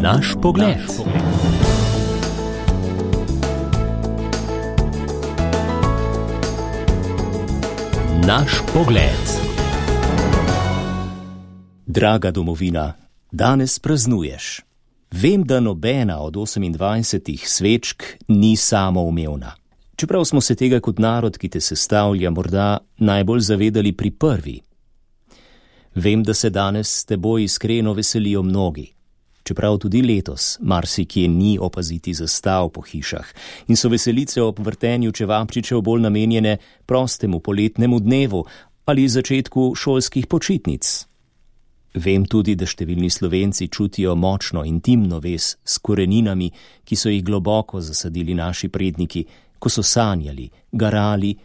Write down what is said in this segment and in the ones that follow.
Naš pogled. Naš pogled. Draga domovina, danes praznuješ. Vem, da nobena od 28 svečk ni samoumevna. Čeprav smo se tega kot narod, ki te sestavlja, morda najbolj zavedali pri prvi. Vem, da se danes s teboj iskreno veselijo mnogi. Čeprav tudi letos marsikje ni opaziti zastav po hišah in so veselice ob vrtenju čevapčičev bolj namenjene prostemu poletnemu dnevu ali začetku šolskih počitnic. Vem tudi, da številni Slovenci čutijo močno intimno vez s koreninami, ki so jih globoko zasadili naši predniki, ko so sanjali, garali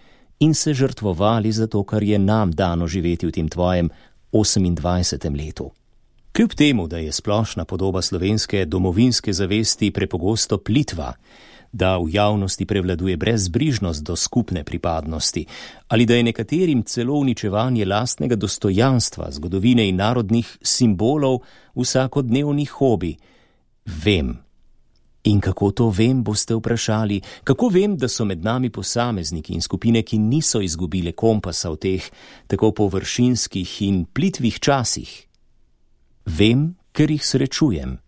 in se žrtvovali za to, kar je nam dano živeti v tem tvojem 28. letu. Kljub temu, da je splošna podoba slovenske domovinske zavesti prepogosto plitva, da v javnosti prevladuje brezbrižnost do skupne pripadnosti ali da je nekaterim celo uničevanje lastnega dostojanstva, zgodovine in narodnih simbolov vsakodnevni hobi, vem. In kako to vem, boste vprašali, kako vem, da so med nami posamezniki in skupine, ki niso izgubile kompasa v teh tako površinskih in plitvih časih. Vem, ker jih srečujem.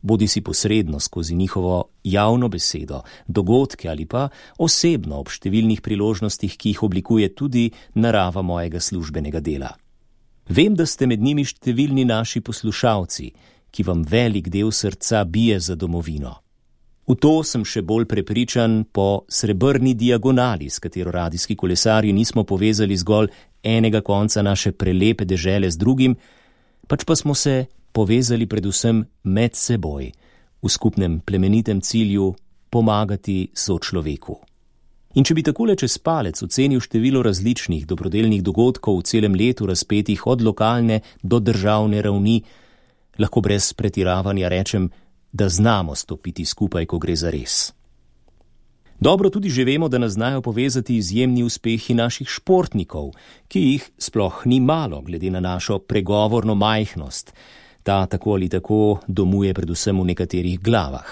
Bodi si posredno skozi njihovo javno besedo, dogodke ali pa osebno ob številnih priložnostih, ki jih oblikuje tudi narava mojega službenega dela. Vem, da ste med njimi številni naši poslušalci, ki vam velik del srca bije za domovino. V to sem še bolj prepričan po srebrni diagonali, s katero radijski kolesarji nismo povezali zgolj enega konca naše prelepe dežele z drugim, pač pa smo se povezali predvsem med seboj, v skupnem plemenitem cilju pomagati sočloveku. In če bi takole čez palec ocenil število različnih dobrodelnih dogodkov v celem letu razpetih od lokalne do državne ravni, lahko brez pretiravanja rečem, da znamo stopiti skupaj, ko gre za res. Dobro tudi že vemo, da nas znajo povezati izjemni uspehi naših športnikov, ki jih sploh ni malo, glede na našo pregovorno majhnost. Ta tako ali tako domuje predvsem v nekaterih glavah.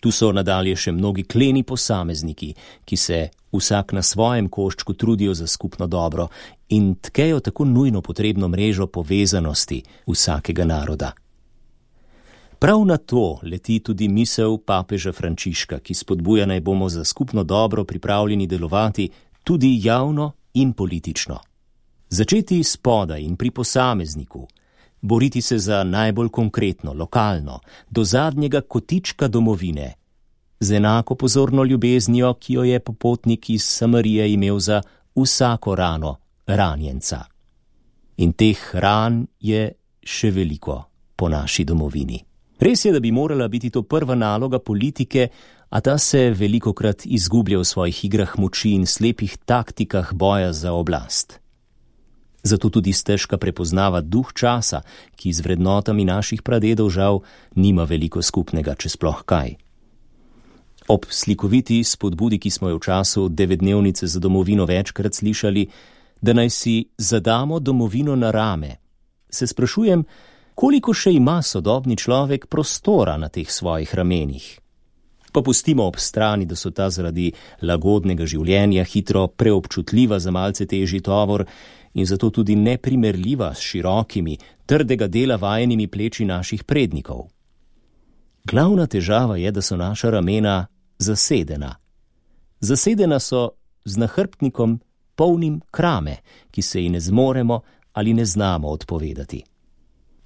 Tu so nadalje še mnogi kleni posamezniki, ki se vsak na svojem koščku trudijo za skupno dobro in tkejo tako nujno potrebno mrežo povezanosti vsakega naroda. Prav na to leti tudi misel papeža Frančiška, ki spodbuja, naj bomo za skupno dobro pripravljeni delovati tudi javno in politično. Začeti spodaj in pri posamezniku, boriti se za najbolj konkretno, lokalno, do zadnjega kotička domovine, z enako pozorno ljubeznijo, ki jo je popotnik iz Samarije imel za vsako rano ranjenca. In teh ran je še veliko po naši domovini. Res je, da bi morala biti to prva naloga politike, a ta se velikokrat izgublja v svojih igrah moči in slepih taktikah boja za oblast. Zato tudi stežka prepoznava duh časa, ki z vrednotami naših pradedov žal nima veliko skupnega, če sploh kaj. Ob slikoviti spodbudi, ki smo jo v času 9-dnevnice za domovino večkrat slišali, da naj si zadamo domovino na rame, se sprašujem, koliko še ima sodobni človek prostora na teh svojih ramenih. Pa pustimo ob strani, da so ta zaradi lagodnega življenja hitro preobčutljiva za malce težji tovor in zato tudi neprimerljiva s širokimi, trdega dela vajenimi pleči naših prednikov. Glavna težava je, da so naša ramena zasedena. Zasedena so z nahrbtnikom polnim krame, ki se ji ne zmoremo ali ne znamo odpovedati.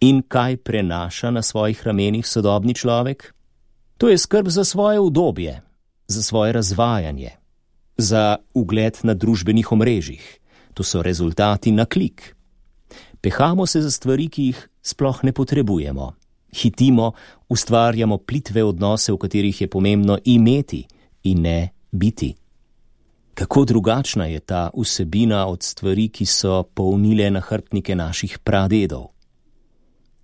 In kaj prenaša na svojih ramenih sodobni človek? To je skrb za svoje udobje, za svoje razvajanje, za ugled na družbenih omrežjih. To so rezultati na klik. Pehamo se za stvari, ki jih sploh ne potrebujemo. Hitimo, ustvarjamo plitve odnose, v katerih je pomembno imeti in ne biti. Kako drugačna je ta vsebina od stvari, ki so polnile nahrbtnike naših pradedov.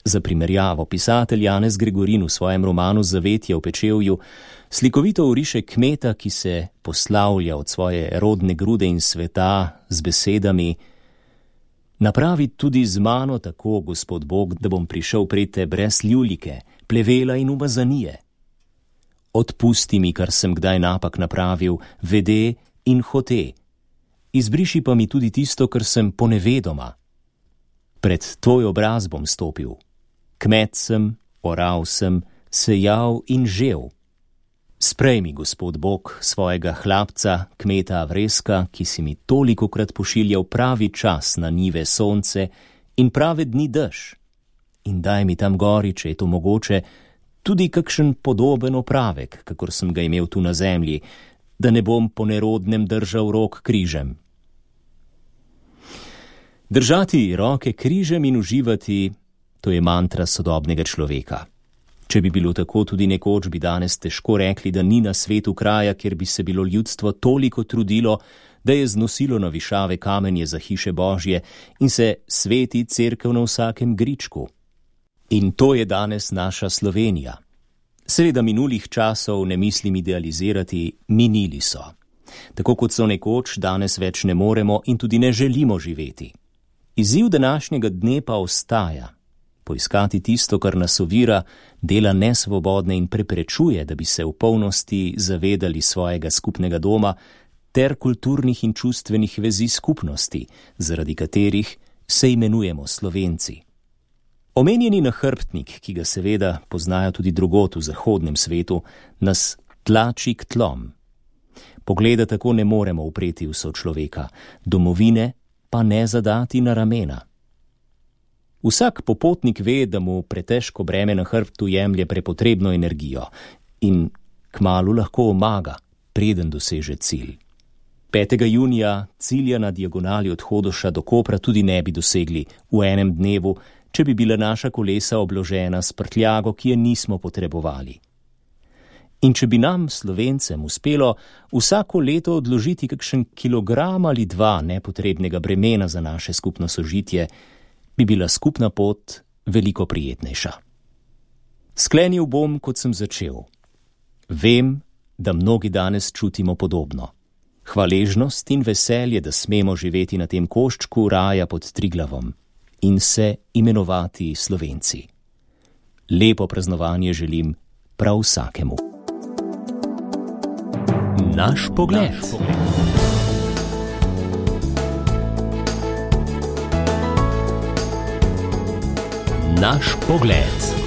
Za primerjavo, pisatelj Janez Gregorin v svojem romanu Zavetje v Pečevju slikovito oriše kmeta, ki se poslavlja od svoje rodne grude in sveta z besedami: Napravi tudi z mano tako, Gospod Bog, da bom prišel pred te brez ljulike, plevela in umazanije. Odpusti mi, kar sem kdaj napak napravil, vede in hote. Izbriši pa mi tudi tisto, kar sem ponevedoma. Pred tvoj obraz bom stopil. Kmet sem, oral sem, sejal in žel. Sprejmi, Gospod Bog, svojega hlapca, kmeta Avreska, ki si mi tolikokrat pošiljal pravi čas na njive sonce in prave dni dež. In daj mi tam gori, če je to mogoče, tudi kakšen podoben opravek, kakor sem ga imel tu na zemlji, da ne bom po nerodnem držal rok križem. Držati roke križem in uživati, to je mantra sodobnega človeka. Če bi bilo tako, tudi nekoč bi danes težko rekli, da ni na svetu kraja, kjer bi se bilo ljudstvo toliko trudilo, da je znosilo na višave kamenje za hiše Božje in se sveti cerkev na vsakem gričku. In to je danes naša Slovenija. Seveda minulih časov ne mislim idealizirati, minili so. Tako kot so nekoč, danes več ne moremo in tudi ne želimo živeti. Izziv današnjega dne pa ostaja. Poiskati tisto, kar nas ovira, dela nesvobodne in preprečuje, da bi se v polnosti zavedali svojega skupnega doma ter kulturnih in čustvenih vezi skupnosti, zaradi katerih se imenujemo Slovenci. Omenjeni nahrbtnik, ki ga seveda poznajo tudi drugod v zahodnem svetu, nas tlači k tlom. Pogleda tako ne moremo upreti v sočloveka, domovine pa ne zadati na ramena. Vsak popotnik ve, da mu pretežko breme na hrbtu jemlje prepotrebno energijo in kmalu lahko omaga, preden doseže cilj. 5. junija cilja na diagonali od Hodoša do Kopra tudi ne bi dosegli v enem dnevu, če bi bila naša kolesa obložena s prtljago, ki je nismo potrebovali. In če bi nam, Slovencem, uspelo vsako leto odložiti kakšen kilogram ali dva nepotrebnega bremena za naše skupno sožitje, bi bila skupna pot veliko prijetnejša. Sklenil bom, kot sem začel. Vem, da mnogi danes čutimo podobno. Hvaležnost in veselje, da smemo živeti na tem koščku raja pod Triglavom in se imenovati Slovenci. Lepo praznovanje želim prav vsakemu. Naš pogled. Naš pogled.